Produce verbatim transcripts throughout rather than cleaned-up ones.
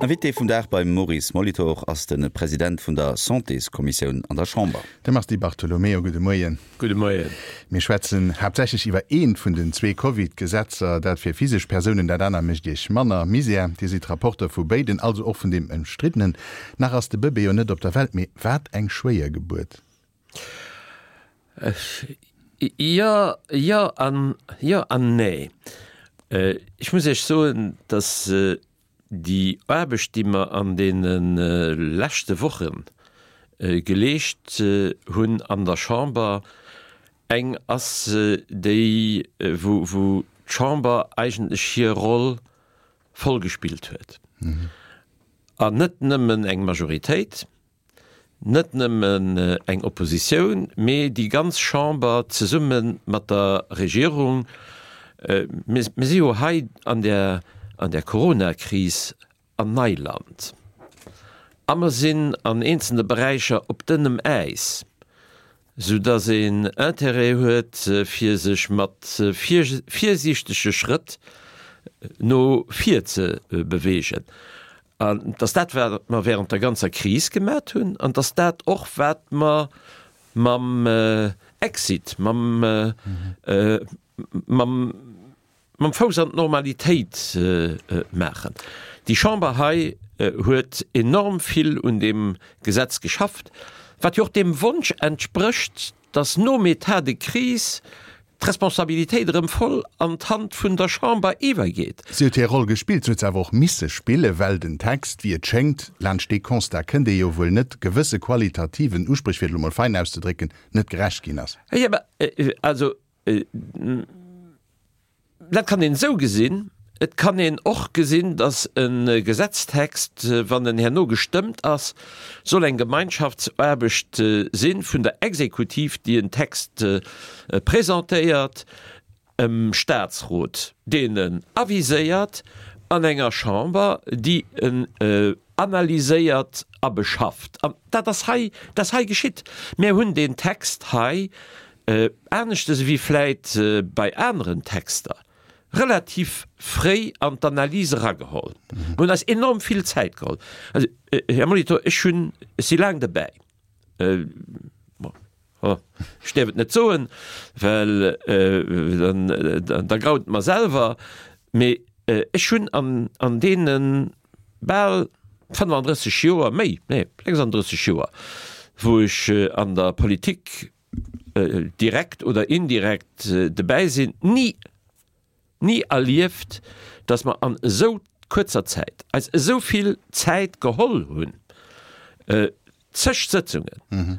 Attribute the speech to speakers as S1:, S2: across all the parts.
S1: Invité vum Dag beim Maurice Molitor ass de President vun der Santéskommissioun an der Chamber.
S2: De Mars Di Bartolomeo, gudde Moien.
S3: Gudde Moien.
S2: Mir schwätzen haaptsächlech iwwer eent vun den zwee Covid-Gesetzer, dat fir physesch Persounen, dat aner mécht Iech manner Misär. Dir sidd Rapporteur vu béiden, also och vun deem ëmstriddenen. Nach ass de Bëbee jo net op der Welt, mee wat eng schwéier Gebuert!
S3: Jo, jo an jo an nee. Ech muss Iech soen, dass déi Aarbecht, déi mer an deene leschte Woche geleescht hunn an der Chamber, eng ass, déi, wou, wou d'Chamber eigentlech hir Roll voll gespillt huet. An net nëmmen eng Majoritéit, net nëmmen eng Oppositioun, mee déi ganz Chamber zesumme mat der Regierung. Mir si jo hei an där, an där Coronakris an Neiland a mer sinn an eenzelne Beräicher op dënnem Äis, soudass een Intérêt huet, fir sech mat virsiichtege Schrëtt no vir ze bewegen. An et ass dat, wat mer während der ganzer Kris gemat hunn, an et ass dat och, wat mer mam Exit, mam, mam, mam Fouss an d'Normalitéit maachen. Déi Chamber hei huet enorm vill un deem Gesetz geschafft, wat jo och deem Wonsch entsprécht, dass nom État de crise d'Responsabilitéit erëm voll an d'Hand vun der Chamber iwwergeet.
S2: Si huet hir Roll gespillt, se huet se awer och misse spillen, well den Text, wéi et schéngt, laanscht dee Constat kënnt ee jo wuel net, gewësse qualitativen Uspréch, fir et elo mol fein auszedrécken, net gerecht ginn ass.
S3: Jo, mä also, dat kann een esou gesinn. Et kann een och gesinn, datt e Gesetztext, wann en herno gestëmmt ass, soll eng Gemeinschaftsaarbecht si vun der Exekutiv, déi en Text presentéiert, em Statsrot, deen en aviséiert, an enger Chamber, déi en analyséiert a beschafft. An dat ass hei, dat ass hei geschitt. Mir hunn deen Text hei, aneschters ewéi vläit bei aneren Texter, relativ fréi an d'Analys erageholl. Mir hunn eis enorm vill Zäit geholl. Also, Här Molitor, ech hunn, ech si laang derbäi, bon, ech däerf et net soen, well dann, da graut et mer selwer, mee ech hunn an, an deene bal fënnefandrësseg Joer, méi, nee, sechsandrësseg Joer, wou ech an der Politik direkt oder indirekt dobäi sinn, ni, ni erlieft, dass mer an esou kuerzer Zäit eis esou vill Zäit geholl hunn, zeg Sëtzungen,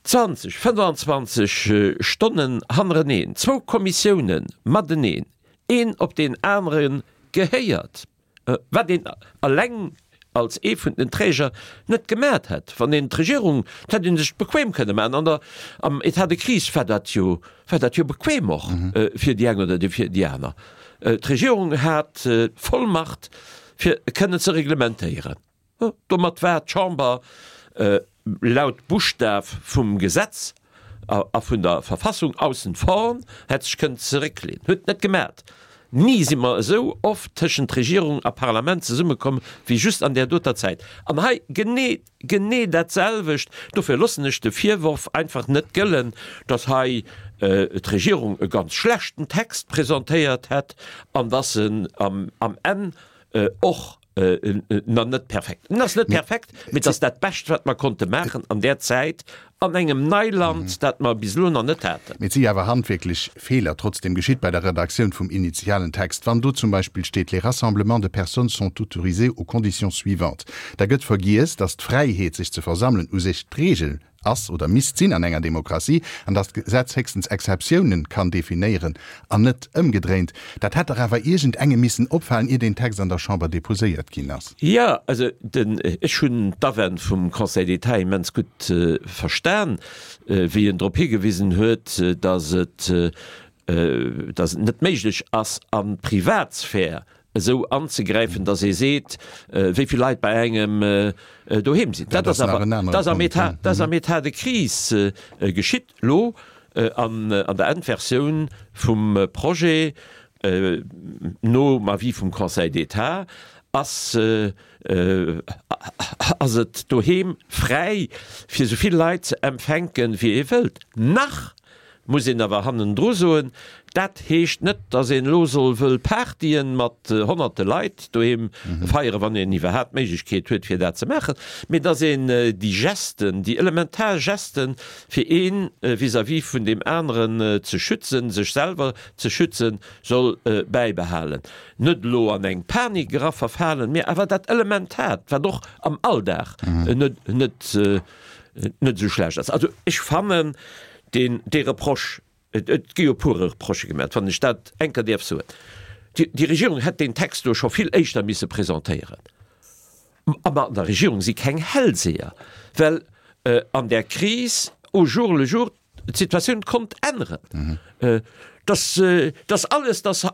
S3: zwanzeg, fënnefanzwanzeg Stonnen hannereneen, zwou Kommissiounen mateneen, een op deen anere gehéiert. Wat een eleng als ee vun den Träger net gemat hätt. Wann een d'Regierung, dat hätt ee sech bequem kënne maachen. An der, am État de crise war dat jo, war dat jo bequem och fir déi eng oder fir déi aner. D'Regierung hat d'Vollmacht fir kënnen ze reglementéieren. Domat war d'Chamber laut Buschtaf vum Gesetz a vun der Verfassung aussen vor, hätt sech kënnen zerécklehnen. Huet et net gemat. Ni si mer esou oft tëschent Regierung a Parlament zesummekomm wéi just an där doter Zäit. An hei genee, genee dat selwecht. Dofir loossen ech de Virworf einfach net gëllen, datt hei d'Regierung e ganz schlechten Text presentéiert hätt an datt en am Enn och nach net perfekt. En ass net perfekt, mee et ass dat Bescht, wat mer konnte maachen an där Zäit an engem Neiland, dat mer bis elo nach net haten.
S2: Mee et si jo awer handwierklech Feeler trotzdem geschitt bei der Redaktioun vum initialen Text. Wann do zum Beispill steet, Les rassemblements de personnes sont autorisés aux conditions suivantes, da gëtt vergiess, dass d'Fräiheet, sech ze versammelen, u sech d'Regel ass oder misst sinn an enger Demokratie, an datt d'Gesetz héchstens Exceptiounen kann definéieren an net ëmgedréint. Dat hätt dach awer iergendengem missen opfalen, ier deen Text an der Chamber déposéiert ginn ass.
S3: Jo, also den, ech hunn d'Awänn vum Conseil d'État immens gutt verstan, wéi en drop higewisen huet, datt et, datt et net méiglech ass, an d'Privatsphär esou anzegräifen, datt ee seet, wéi vill Leit bei engem doheem sinn. Dat ass awer, dat ass am État, dat ass am État de crise geschitt elo an der Endversioun vum Projet nom Avis vum Conseil d'État ass ass et doheem fräi fir esou vill Leit ze empfänken, wéi ee wëllt. Nach muss een awer hannendru soen, dat heescht net, datt een elo soll wëll Partyen mat honnerte Leit doheem feieren, wann een iwwerhaapt d'Méiglechkeet huet fir dat ze maachen, mee datt een déi Gesten, déi elementar Gesten, fir ee vis-à-vis vun deem aneren ze schützen, sech selwer ze schützen, soll bäibehalen. Net elo an eng Panik era verfalen, mee awer dat Elementaart, wat och am Alldag net net net esou schlecht ass. Also ech fannen deen dee Reproche, et et gi jo e puer Reprochë gemaach, wann ech dat eng Kéier däerf soen, déi déi Regierung hätt deen Text do scho vill éischter misse presentéieren. A mer an der Regierung si keng Hellseher, well an där Kris au jour le jour d'Situatioun konnt änneren. Dass dass alles, dass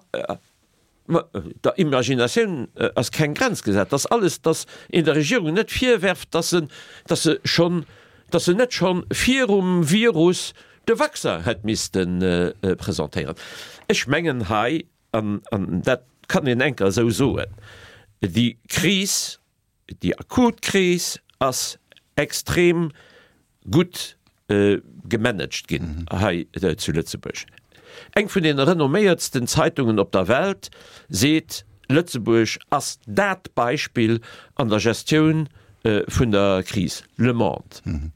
S3: der Imaginatioun ass keng Grenz gesat, dass alles, dass een der Regierung net virwerft, dass se dass se schonn, dass se net schonn virum Virus de Vaccin hätt misste presentéieren. Ech mengen hei, an an dat kann een enker esou soen, déi Kris, déi akut Kris ass extrem gutt gemanagt ginn hei zu Lëtzebuerg. Eng vun den renomméiertsten Zeitungen op der Welt seet, Lëtzebuerg ass dat Beispill an der Gestioun vun der Kris, Le Monde.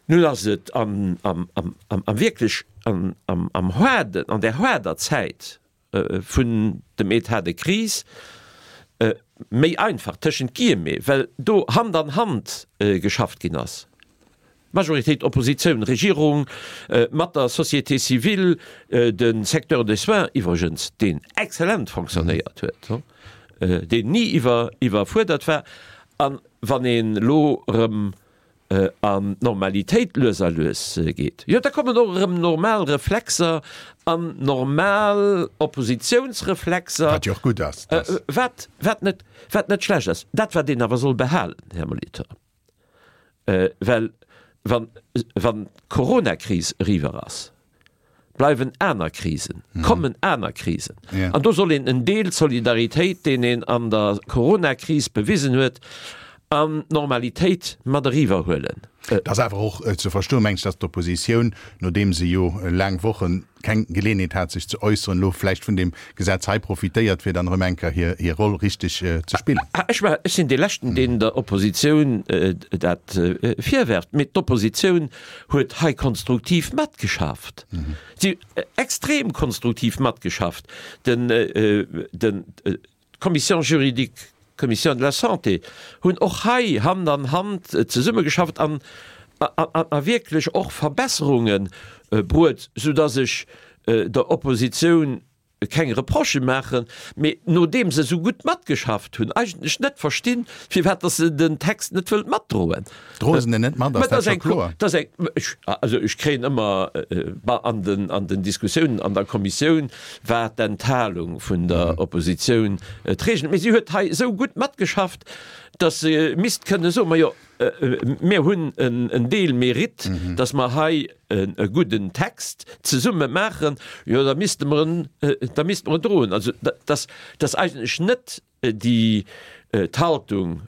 S3: Nun ass et am wierklech am haarden, an där haarder Zäit vun dem État de crise méi einfach, tëschent Guillemets, well do Hand an Hand geschafft ginn ass, Majoritéit, Oppositioun, Regierung, mat der Société civile, de Secteur des soins iwwregens, deen exzellent fonctionnéiert huet, deen ni iwwerfuerdert war. A wann een elo erëm an d'Normalitéit lues a lues geet, jo da kommen och erëm normal Reflexer an normal Oppositiounsreflexer.
S2: Wat jo och gutt ass.
S3: Wat, wat net, wat net schlecht ass. Dat wat een awer soll behalen, Här Molitor, well wann, wann d'Coronakris eriwwer ass, bleiwen aner Krisen, kommen aner Krisen. An do soll een en Deel Solidaritéit, deen een an der Coronakris bewisen huet, an d'Normalitéit mat eriwwer huelen.
S2: Et ass awer och ze verstoen, meng ech, datt d'Oppositioun, nodeem se jo laang Woche keng Geleeënheet hat sech ze äusseren, elo vläicht vun deem Gesetz hei profitéiert, fir dann erëm eng Kéier hir Roll richteg ze spillen.
S3: Ech sinn dee Leschten, deen der Oppositioun dat virwerft. Mee d'Oppositioun huet hei konstruktiv matgeschafft. Si huet extrem konstruktiv matgeschafft. Den, den, d'Commission juridique, d'Commission de la Santé hunn och hei Hand an Hand zesummegeschafft an, a wierklech och Verbesserunge bruet, soudass ech der Oppositioun keng Reprochë maachen, mee nodeem se esou gutt matgeschafft hunn, eigentlech net verstinn, firwat dass se den Text net wëllt matdroen.
S2: Droe se en net mat, ass dat scho kloer.
S3: Dat ass eng, also ech kréien ëmmer, an den, an den Diskussiounen an der Kommissioun war d'Enthalung vun der Oppositioun d'Regel, mee si huet hei esou gutt matgeschafft, dass se misst kënne soen, majo, Mir hunn en Deel Mérite, dass mer hei e gudden Text zesumme maachen, jo da misste mer en, da misste mer en droen. Also dass, dass eigentlech net déi d'Haltung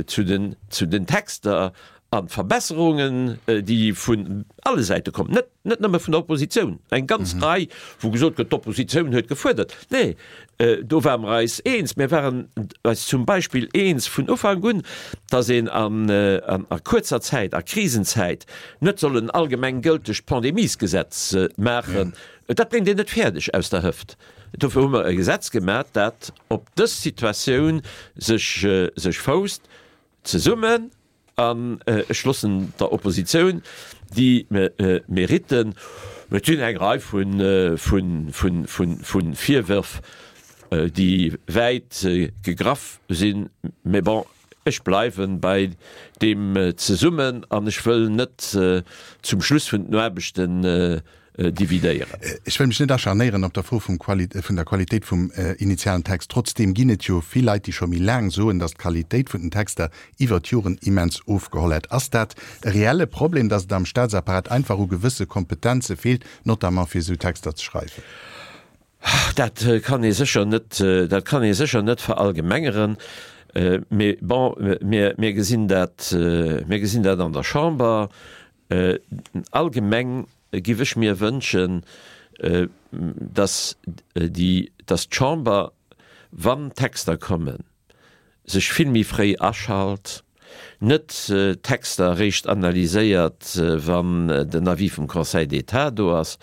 S3: zu den, zu den Texter an d'Verbesserungen, déi vun alle Säite kommen, net, net nëmme vun der Oppositioun, eng ganz Rei, wou gesot gëtt, d'Oppositioun huet gefuerdert, nee, do ware mer eis eens. Mir waren eis zum Beispill eens vun Ufank un, dass een an a kuerzer Zäit, a Krisenzäit, net soll en allgemeng gëltegt Pandemiesgesetz maachen. Dat bréngt een net fäerdeg aus der Hëft. Dofir hu mer e Gesetz gemaach, dat op dës Situatioun sech, sech fousst, zesummen. An ech loossen der Oppositioun déi Mériten. Et sinn eng Rei vu Virwërf, déi wäit gegraff sinn. Mä bon, ech bleiwe bei deem zesummen an ech wëll net zum Schluss vun den Aarbechten dividéieren.
S2: Ech wëll mech net acharnéieren op der Fro vum vun der Qualitéit vum initialen Text. Trotzdeem ginn et jo vill Leit, déi scho méi laang soen, datt d'Qualitéit vun den Texter iwwer d'Joren immens ofgeholl hätt. Ass dat e reelle Problem, datt et am Staatsapparat einfach u gewësse Kompetenze feelt, notamment fir esou Texter ze schreiwen?
S3: Dat kann ee sécher net, dat kann ee sécher net verallgemengeren. Mee bon, mir, mir gesinn dat, mir gesinn dat an der Chamber. Allgemeng giff ech mir wënschen, dass déi, dass d'Chamber, wann Texter kommen, sech vill méi fréi aschalt, net d'Texter eréischt analyséiert, wann den Avis vum Conseil d'État do ass,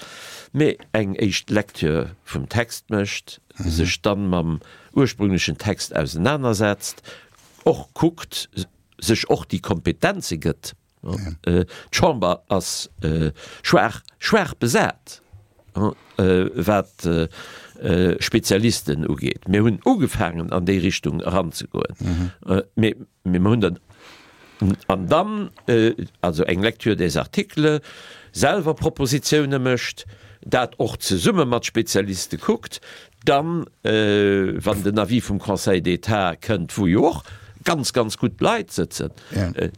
S3: mee eng éischt Lecture vum Text mécht, sech dann mam ursprünglechen Text ausenanersetzt, och kuckt, sech och déi Kompetenze gëtt. D'Chamber ass schwaach, schwaach besat, wat Spezialisten ugeet. Mir hunn ugefaangen, an déi Richtung eranzegoen, mee mir hunn dann, an dann also eng Lecture des articles, selwer Propositioune mécht, dat och zesumme mat Spezialiste kuckt, dann, wann den Avis vum Conseil d'État kënnt, wou jo och ganz, ganz gutt Leit sëtzen,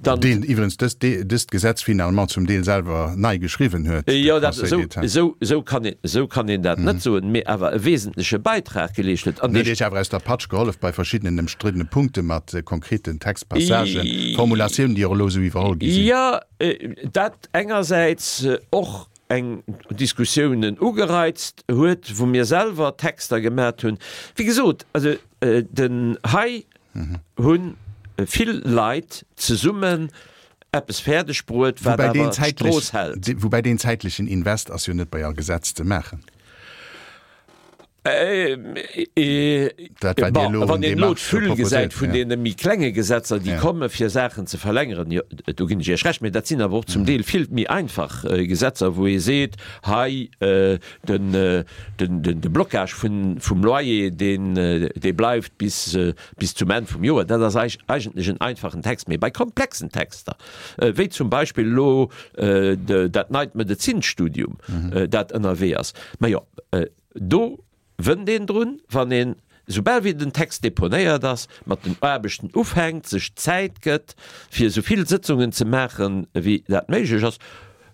S2: dann. Deen iwwerens dëst, dëst Gesetz finalement zum Deel selwer nei geschriwwen huet, de
S3: Jo, dat,
S2: Conseil
S3: esou,
S2: d'État.
S3: esou, esou kann een, esou kann een dat net soen, mee awer e wesentleche Beitrag geleescht huet.
S2: An Huet dee. Iech awer aus der Patsch gehollef bei verschiddenen ëmstriddene Punkte mat konkreten Textpassagen, Formulatiounen, déi och elo esou iwwerholl gi sinn.
S3: Jo, dat engersäits och eng Diskussiounen ugereizt huet, wou mir selwer Texter gemat hunn. Wéi gesot, also den hei hu vill Leit zesummen eppes fäerdeg bruet, wat awer d'Strooss hält.
S2: Woubäi deen zäitlechen Invest ass jo net bei all Gesetz ze maachen.
S3: Dat, wat Dir elo Wann een elo d'Füll gesäit vun deene méi klenge Gesetzer, déi komme fir Saachen ze verlängeren, jo, do ginn ech Iech Recht, mä dat sinn awer och zum Deel vill méi einfach Gesetzer, wou ee seet, hei den, den, de Blocage vun, vum Loyer, deen, dee bleift bis, bis zum Enn vum Joer. Dat ass eigentlech en einfachen Text. Mee bei komplexen Texter, wéi zum Beispill elo dat neit Medezinsstudium, dat ënnerwee ass, majo, do wënnt een drun, wann een, soubal wéi den Text deponéiert ass, mat den Aarbechten ufänkt, sech Zäit gëtt, fir esou vill Sëtzungen ze maachen, wéi dat méiglech ass.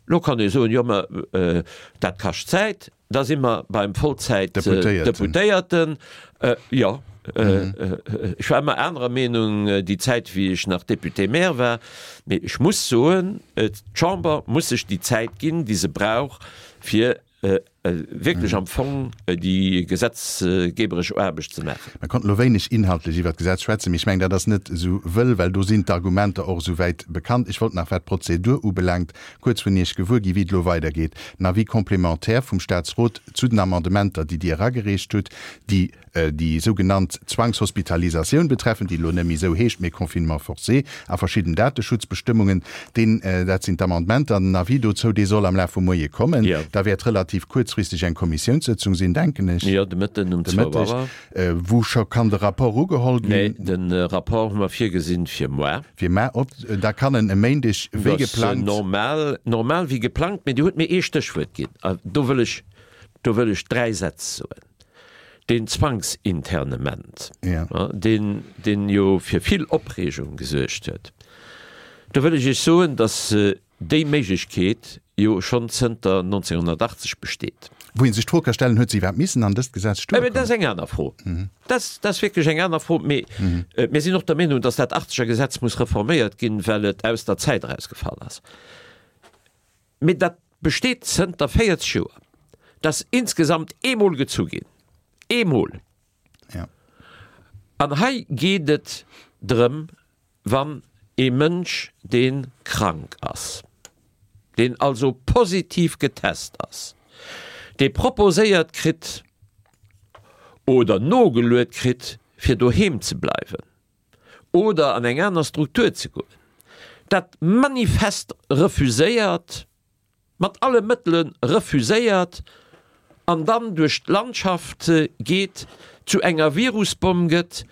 S3: Elo kann ee soen, jo, mä dat kascht Zäit. Da si mer beim Vollzäit-Deputéierten. Jo, ech war ëmmer anerer Meenung déi Zäit, wéi ech nach Député-maire war. Mee ech muss soen, d'Chamber muss sech déi Zäit ginn, déi se brauch, fir wierklech am Fong déi gesetzgeberesch Aarbecht ze maachen.
S2: Mer konnten elo wéineg inhaltlech iwwert d'Gesetz schwätzen, mee ech mengen, dat ass net esou wëll, well do sinn d'Argumenter och esou wäit bekannt. Ech wollt nach, wat d'Prozedur ubelaangt, kuerz vun Iech gewuer ginn, wéi et elo weidergeet. Den Avis complémentaire vum Statsrot zu den Amendementer, déi Dir eragereecht hutt, déi déi sougenannt Zwangshospitalisatioun betreffen, déi elo net méi esou heescht, mee Confinement forcé a verschidden Dateschutzbestëmmungen, deen, dat sinn d'Amendementer, an den Avis dozou, dee soll am Laf vum Moie kommen.
S3: Jo.
S2: Da wäert relativ kuerzfristeg eng Kommissiounssëtzung sinn, denken ech.
S3: Jo, de Mëtten um
S2: De
S3: zwou
S2: Mëtteg.
S3: Auer.
S2: Wou scho kann de Rapport ugeholl
S3: Nee,
S2: ginn?
S3: de Rapport hu mer virgesinn fir moar.
S2: Fir mar, op, da kann en e Méindeg wéi
S3: Dat ass
S2: geplangt.
S3: normal, normal wéi geplangt, mee Dir hutt mir ee Stéchwuert ginn, a do wëll ech, do wëll ech dräi Sätz soen. Deen Zwangsinternement, deen, deen jo fir vill Opreegung gesuergt huet, do wëll ech Iech soen, datt déi Méiglechkeet jo schonn zënter nonzénghunnertachtzeg besteet.
S2: Wou ee sech d'Fro ka stellen, Huet se iwwerhaapt missen an dëst Gesetz stoe
S3: kommen? Dat ass eng aner Fro. Dat ass wierklech eng aner Fro. Mee mir sinn och der Meenung, datt dat achtzeger Gesetz muss reforméiert ginn, well et aus der Zäit erausgefall ass. Mee dat besteet zënter véierzeg Joer. Dat ass insgesamt eemol gezu ginn. Eemol!
S2: Ja.
S3: An hei geet et drëm, wann ee Mënsch, dee krank ass, deen also positiv getest ass, dee proposéiert kritt oder nogeluet kritt, fir doheem ze bleiwen oder an eng aner Struktur ze goen, dat manifest refuséiert, mat alle Mëttele refuséiert an dann duerch d'Landschaft geet, zu enger Virusbomm gëtt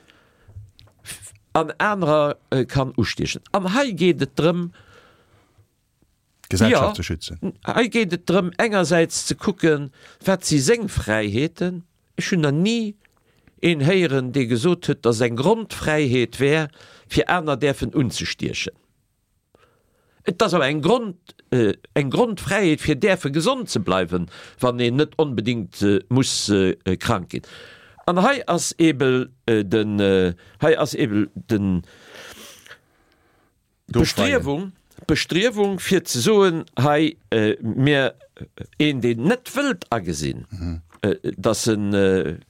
S3: an anerer kann ustiechen. An hei geet et drëm,
S2: D'Gesellschaft ze schützen.
S3: Jo, hei geet et drëm engersäits ze kucken, wat si seng Fräiheeten. Ech hunn nach ni een héieren, dee gesot huet, datt eng Grondfräiheet wär, fir aner däerfen unzestiechen. Et ass awer eng Grond, eng Grondfräiheet fir däerfe gesond ze bleiwen, wann een net onbedéngt muss krank ginn. An hei ass eebel den, hei ass eebel den, d'Bestriewung, d'Bestriewung fir ze soen, hei mir, een deen net wëllt agesinn, dass en,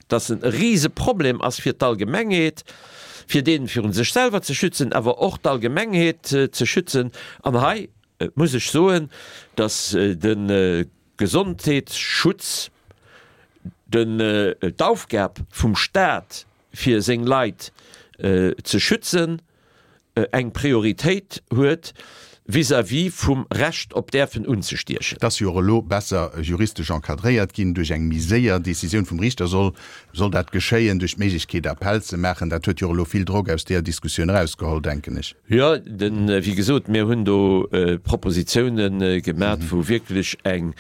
S3: dass en e Riseproblem ass fir d'Allgemengheet, fir deen virun sech selwer ze schützen, awer och d'Allgemengheet ze schützen. An hei muss ech soen, dass de Gesondheetsschutz, den, d'Aufgab vum Stat fir seng Leit ze schützen, eng Prioritéit huet vis-à-vis vum Recht op däerfen unzestiechen.
S2: Et ass jo och elo besser juristesch encadréiert ginn. Duerch eng méi séier Décisioun vum Riichter soll soll dat geschéien, duerch d'Méiglechkeet Appell ze maachen. Dat huet jo och elo vill Drock aus deeër Diskussioun erausgeholl, denken ech.
S3: Jo, den, wéi gesot, mir hunn do Propositionen gemat, wou wierklech eng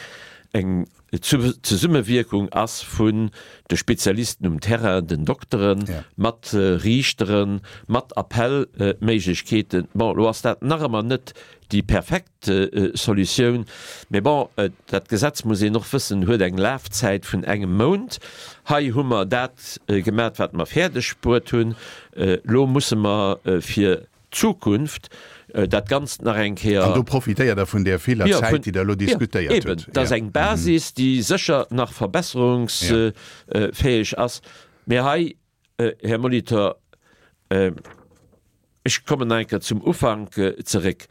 S3: eng Zesummewierkung ass vun de Spezialisten um Terrain, den Dokteren, mat Riichteren, mat Appellméiglechkeeten. Bon, elo ass dat nach ëmmer net déi perfekt Solutioun, mee bon, dat Gesetz, muss een och wëssen, huet eng Lafzäit vun engem Mount. Hei hu mer dat gemat, wat mer fäerdeg bruet hunn. Elo musse mer fir d'Zukunft dat Ganzt nach eng Kéier.
S2: An do profitéiert Der vun där viller Zäit, déi Der elo diskutéiert hutt.
S3: Jo, eben. Dat ass eng Basis, déi sécher nach verbesserungsfäeg ass. Mee hei, Här Molitor, ech kommen nach eng Kéier zum Ufank zeréck,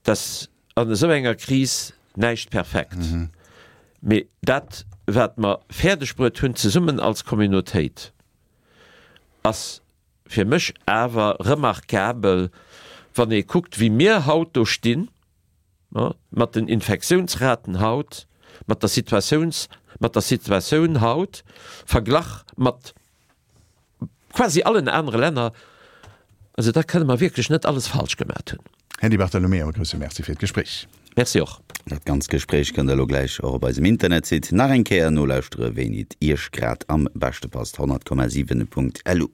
S3: dass an esou enger Kris näischt perfekt. Mee dat, wat mer fäerdegbruet hunn zesummen als Communautéit, ass fir mech awer remarkabel, wann ee kuckt, wéi mir haut do stinn, mat den Infektiounsraten haut, mat der Situatiouns, mat der Situatioun haut, verglach mat quasi allen anere Länner. Also da kënne mer wierklech net alles falsch gemat hunn.
S2: Här Di Bartolomeo, e grousse Merci fir d'Gespréich.
S3: Merci och.
S1: Dat ganzt Gespréich kënnt der elo gläich och op eisem Internetsite nach eng Kéier nolauschtere wéini et Iech grad am beschte passt, honnert Komma siwen Punkt lu.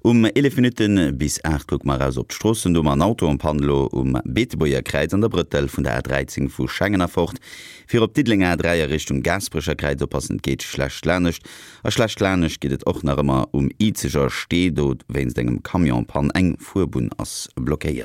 S1: Um eelef Minutte bis aacht kucke mer eraus op d'Stroossen. Do hu mer en Auto en panne elo um Beetebuerger Kräiz an der Brëttel vun der A dräizéng vu Schengen erfort fir op d'Diddelenger A dräi a Richtung Gaasperecher Kräiz. Oppassen, et geet schlecht lanescht. A schlecht lanescht geet et och nach ëmmer um Izeger Stee, do wéinst engem Camion en panne. Eng Fuerbunn ass blockéiert.